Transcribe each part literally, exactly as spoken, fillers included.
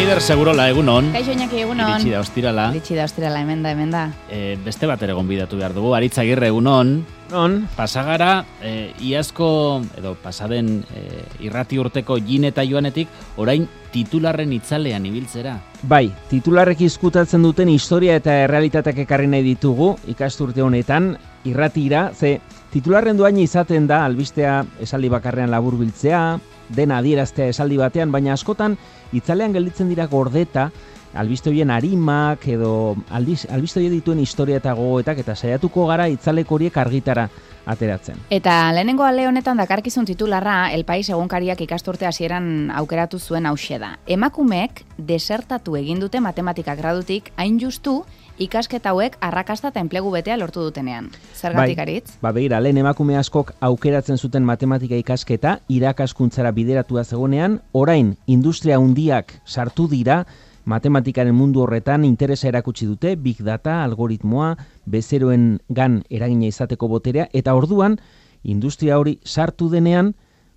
Eider Segurola, egunon. Kaixo Iñaki, egunon. Iritsi da ostirala. Iritsi da ostirala, hemen da, hemen da. E, beste bat ere gonbidatu behar dugu. Aritz Agirre, egunon. Non? Pasagara, e, iazko, edo pasaden e, irrati urteko Jin eta Joanetik, orain titularren itzalean ibiltzera. Bai, titularrek izkutatzen duten historia eta errealitateak ekarri nahi ditugu ikasturte honetan irratira, ze titularren duain izaten da albistea esaldi bakarrean laburbiltzea, dena adieraztea esaldi batean, baina askotan itzalean gelditzen dira gordeta, albiste horien arimak edo aldiz, albiste horien dituen historia eta gogoetak eta saiatuko gara itzaleko horiek argitara ateratzen. Eta lehenengo ale honetan dakarkizun titularra El País egunkariak ikasturte hasieran aukeratu zuen hauxe da. Emakumeek desertatu egin dute matematika gradutik hain justu ikasketa hauek arrakasta eta enplegu betea lortu dutenean. Zergatik Aritz? Ba, begira, lehen emakume askok aukeratzen zuten matematika ikasketa irakaskuntzara bideratua zegonean, orain industria handiak sartu dira, matematikaren mundu horretan interesa erakutsi dute, big data, algoritmoa, bezeroen gan eragina izateko boterea, eta orduan, industria hori sartu denean,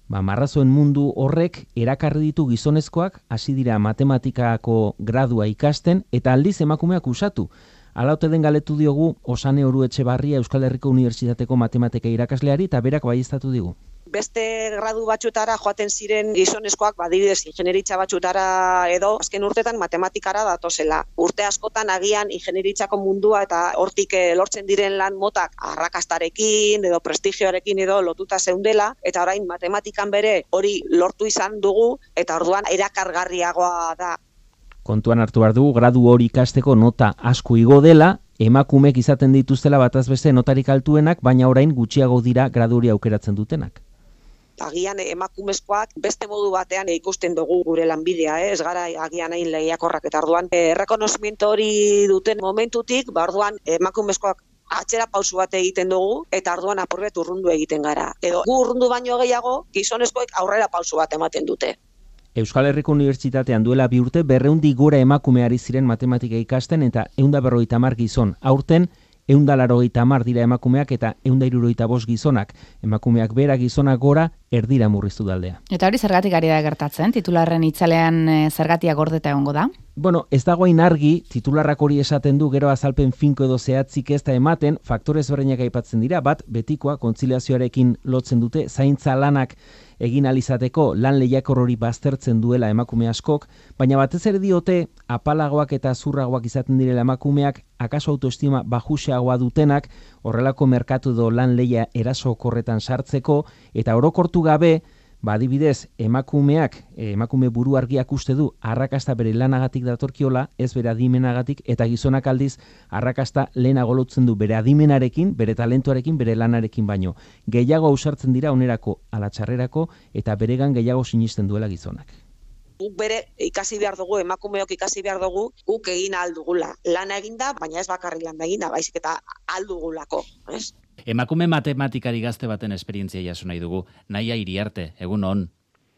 ba, marrazoen mundu horrek erakarri ditu gizonezkoak, hasi dira matematikako gradua ikasten, eta aldiz emakumeak usatu. Hala ote den galetu diogu Osane Oru Etxebarria Euskal Herriko Unibertsitateko matematika irakasleari, eta berak baieztatu digu. Beste gradu batxutara joaten ziren gizonezkoak, badibidez ingenieritza batxutara edo, azken urtetan matematikara datozela. Urte askotan agian ingenieritzako mundua eta hortik lortzen diren lan motak arrakastarekin edo prestigioarekin edo lotuta zeundela, eta orain matematikan bere hori lortu izan dugu, eta orduan erakargarriagoa da. Kontuan hartu behar dugu, gradu hori ikasteko nota asko igo dela, emakumeek izaten dituztela bataz beste notarik altuenak, baina orain gutxiago dira gradu hori aukeratzen dutenak. Agian emakumezkoak beste modu batean ikusten dugu gure lanbidea, eh? Ez gara agian hain lehiakorrak, eta orduan errekonozimiento hori duten momentutik, ba orduan emakumezkoak atzera pausu bat egiten dugu, eta orduan apurbet urrundu egiten gara. Edo gu urrundu baino gehiago, gizonezkoek aurrera pausu bat ematen dute. Euskal Herriko Unibertsitatean duela bi urte berreundi gora emakume ari ziren matematika ikasten eta ehun eta berrogeita hamar gizon. Aurten ehun eta laurogeita hamar dira emakumeak eta ehun eta hirurogeita bost gizonak. Emakumeak bera, gizonak gora, erdira murriztu daldea. Eta hori zergatik ari da gertatzen? Titularren itzalean e, zergatia gordeta egongo da? Bueno, ez dagoen argi, titularrak hori esaten du gero azalpen finko edo zehatzik ez da ematen, faktore ezberdinak aipatzen dira, bat betikoa kontziliazioarekin lotzen dute, zaintza lanak egin alizateko lan lehiakor hori baztertzen duela emakume askok, baina batez ere diote apalagoak eta zurragoak izaten direla emakumeak, akaso autoestima bajuxeagoa dutenak, horrelako merkatu edo lan lehia erasokorretan sartzeko, eta orokortu gabe, ba, adibidez, emakumeak, emakume buru argiak uste du, arrakasta bere lanagatik datorkiola, ez bere adimenagatik, eta gizonak aldiz, arrakasta lehenago lotzen du bere adimenarekin, bere talentuarekin, bere lanarekin baino. Gehiago ausartzen dira onerako ala txarrerako, eta beregan gehiago sinisten duela gizonak. Guk bere ikasi behar dugu, emakumeok ikasi behar dugu, guk egin aldugula. Lana eginda, baina ez bakarri lan eginda, baizik eta aldugulako, ez? Emakume matematikari gazte baten esperientzia jaso nahi dugu. Naia Iriarte, egun on.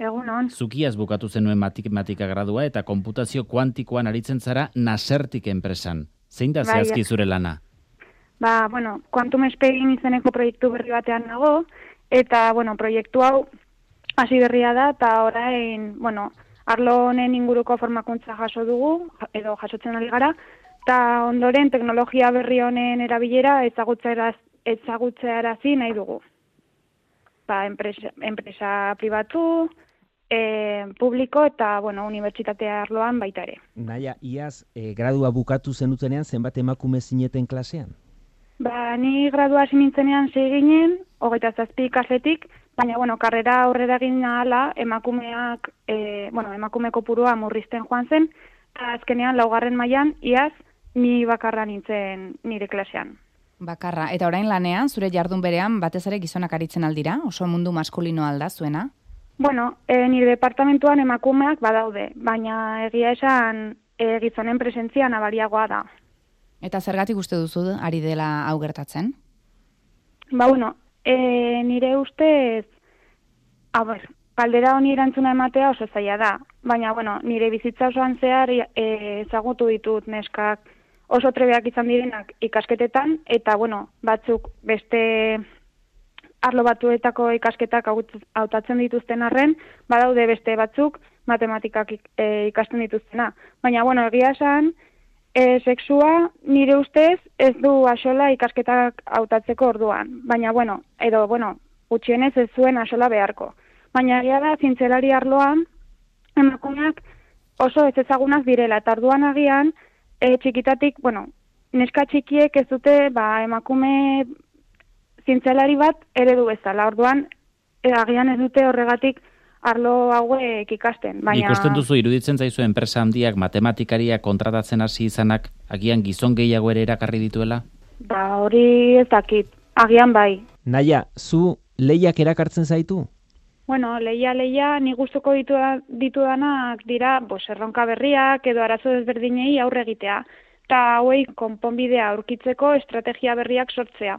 Egun on. Zukiaz bukatu zenuen matematika gradua eta konputazio kuantikoan aritzen zara Nasertik enpresan. Zein da zehazki zure lana? Ba, bueno, Quantum Spain izeneko proiektu berri batean nago, eta, bueno, proiektu hau hasi berria da, eta orain, bueno, arlo honen inguruko formakuntza jaso dugu, edo jasotzen ari gara, eta ondoren teknologia berri honen erabilera ezagutzera ezagutzearazi nahi dugu. Ba, enpresa, enpresa pribatu, e, publiko eta, bueno, unibertsitatea arloan baita ere. Naia, iaz, e, gradua bukatu zenutenean zenbat emakume zineten klasean? Ba, ni gradua hasi nintzenean sei ginen, hogeita zazpi ikasletik, baina, bueno, karrera aurrera egin ahala, emakumeak, e, bueno, emakume kopurua murrizten joan zen, eta azkenean laugarren mailan iaz, ni bakarra nintzen nire klasean. Bakarra. Eta orain lanean, zure jardun berean, batez ere gizonak aritzen aldira? Oso mundu maskulino alda zuena? Bueno, e, nire departamentuan emakumeak badaude, baina egia esan e, gizonen presentzia nabariagoa da. Eta zergatik uste duzu ari dela hau gertatzen? Ba, bueno, e, nire ustez, a ber, galdera honi erantzuna ematea oso zaila da, baina, bueno, nire bizitza osoan zehar e, ezagutu ditut neskak oso trebeak izan direnak ikasketetan, eta, bueno, batzuk beste arlo batuetako ikasketak hautatzen dituzten arren, badaude beste batzuk, matematikak e, ikasten dituztena. Baina, bueno, egia esan, e, sexua nire ustez ez du axola ikasketak hautatzeko orduan. Baina, bueno, edo, bueno, gutxienez ez zuen axola beharko. Baina egia da, zientzialari arloan, emakumeak oso ez ezagunak direla, eta orduan agian, e, txikitatik, bueno, neska txikiek ez dute, ba, emakume zientzialari bat eredu bezala. Orduan, e, agian ez dute horregatik arlo hauek ikasten. Baina... Ikusten duzu, iruditzen zaizu enpresa handiak matematikariak kontratatzen hasi izanak, agian gizon gehiago ere erakarri dituela? Ba, hori ez dakit, agian bai. Naia, zu lehiak erakartzen zaitu? Bueno, leia, leia, ni gustuko ditu, ditudanak dira, bos, erronka berriak edo arazo desberdinei aurre egitea. Eta hauei konponbidea aurkitzeko estrategia berriak sortzea.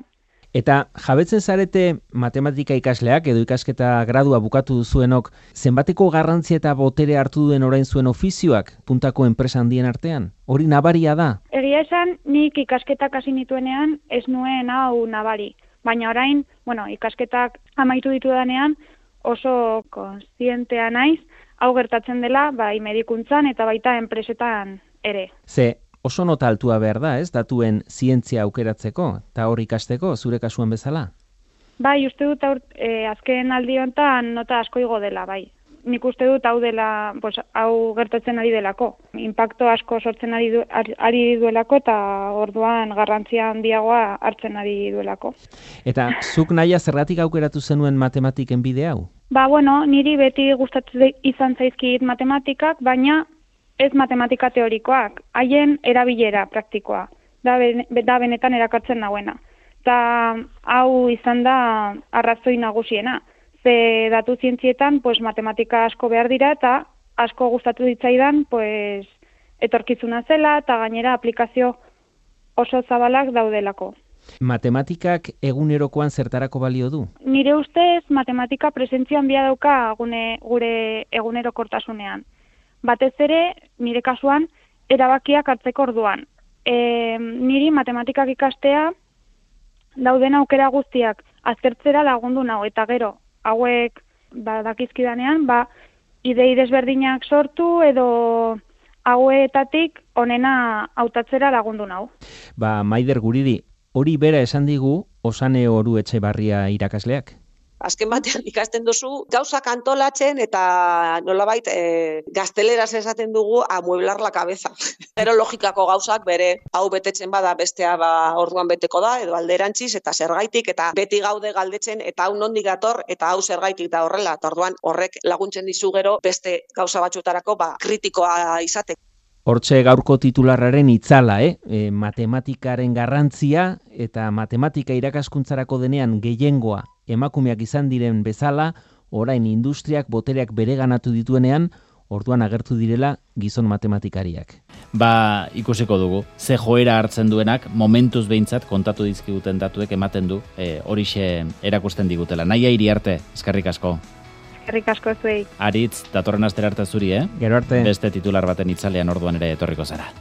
Eta jabetzen zarete matematika ikasleak edo ikasketa gradua bukatu duzuenok, zenbateko garrantzia eta botere hartu duen orain zuen ofizioak puntako enpresa handien artean? Hori nabaria da? Egia esan, nik ikasketak hasi nituenean ez nuen hau nabari. Baina orain, bueno, ikasketak amaitu ditudanean oso konstientea naiz, hau gertatzen dela, bai medikuntzan eta baita enpresetan ere. Ze, oso nota altua behar da, ez, datuen zientzia aukeratzeko, eta hor ikasteko, zure kasuan bezala? Bai, uste dut aur, e, azken aldi honetan nota asko igo dela, bai. Nik uste dut hau dela, pues, hau gertatzen ari delako. Inpakto asko sortzen ari, du, ari duelako eta orduan garrantzia handiagoa hartzen ari duelako. Eta zuk naia zergatik aukeratu zenuen matematiken bide hau? Ba, bueno, niri beti gustatzen izan zaizkit matematikak, baina ez matematika teorikoak, haien erabilera praktikoa, da, ben, da benetan erakartzen nagoena. Eta hau izan da arrazoi nagusiena. Ze datu zientzietan pues, matematika asko behar dira eta asko gustatu ditzaidan pues, etorkizuna zela eta gainera aplikazio oso zabalak daudelako. Matematikak egunerokoan zertarako balio du? Nire ustez matematika presentzia handia dauka gune, gure egunerokortasunean. Batez ere, nire kasuan, erabakiak hartzeko orduan. E, niri matematikak ikastea dauden aukera guztiak aztertzera lagundu nau, eta gero, hauek badakizkidanean, ba, idei desberdinak sortu edo hauetatik onena hautatzera lagundu nau. Ba, Maider Guridi, hori bera esan digu Osane Oru Etxebarria irakasleak? Azken batean ikasten duzu gauzak antolatzen eta nolabait e, gazteleraz esaten dugu amueblar la cabeza. Pero logikako gauzak bere hau betetzen bada bestea ba orduan beteko da edo alderantziz eta zergaitik eta beti gaude galdetzen eta hau nondik dator eta hau zergaitik da horrela. Eta orduan horrek laguntzen dizu gero beste gauza batzutarako ba kritikoa izateko. Hortxe gaurko titularraren itzala, eh? E, matematikaren garrantzia eta matematika irakaskuntzarako denean gehiengoa emakumeak izan diren bezala, orain industriak botereak bereganatu dituenean, orduan agertu direla gizon matematikariak. Ba, ikusiko dugu. Ze joera hartzen duenak, momentuz behintzat kontatu dizkiguten datuek ematen du, e, horixe erakusten digutela. Naia Iriarte, eskerrik asko. Eskerrik asko zuei. Aritz, datorren astera arte zuri, eh? Gero arte. Beste titular baten itzalean orduan ere etorriko zara.